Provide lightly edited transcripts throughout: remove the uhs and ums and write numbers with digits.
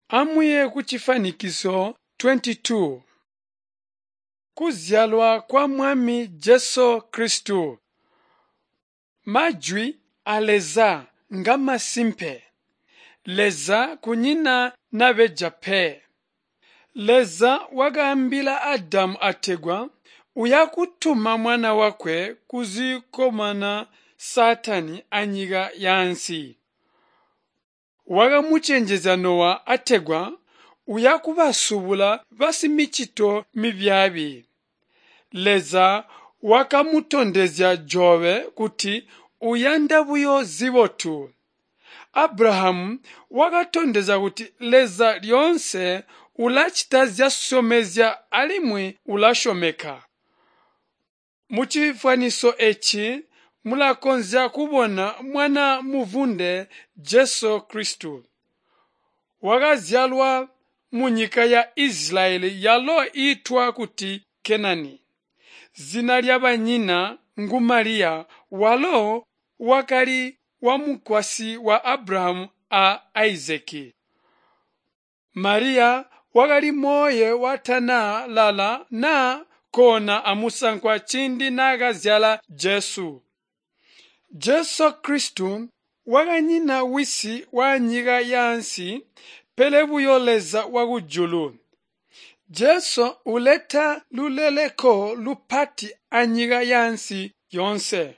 Amuye kucifwanikiso 22. Kuzyalwa kwa Mwami Jesu Kristu. Majwi a Leza ngamasimpe. Leza kunyina nabeja pe. Leza wakaambila Adamu ategwa uyakutuma mwana wakwe kuzyikomana Saatani anyika yaansi. Wakamucenjezya Nowa ategwa uyakubasubula basimicito mibyaabi. Leza wakamutondezya Jobe kuti uyanda buyo zibotu. Abrahamu wakatondezya kuti Leza lyoonse ulacita zyasyomezya alimwi ulasyomeka. Mucifwaniso eci mulakonzya kubona mwana muvwunde Jesu Kristu. Wakazyalwa munyika ya Isilayeli yalo iitwa kuti Kenani. Zina lyabanyina ngu Maliya walo wakali wamukwasyi wa Abrahamu a Isaki. Maliya wakali mooye watana lala naa koona amusankwa ciindi naakazyala Jesu. Jesu Kristu wakanyina wisi waanyika yaansi pele buyo Leza wakujulu. Jesu uleta luleleko lupati anyika yaansi yoonse.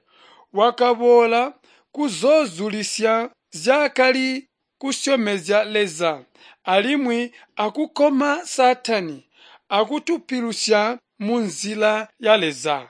Wakaboola kuzoozulisya zyaakali kusyomezya Leza alimwi akukoma Saatani akutupilusya munzila ya Leza.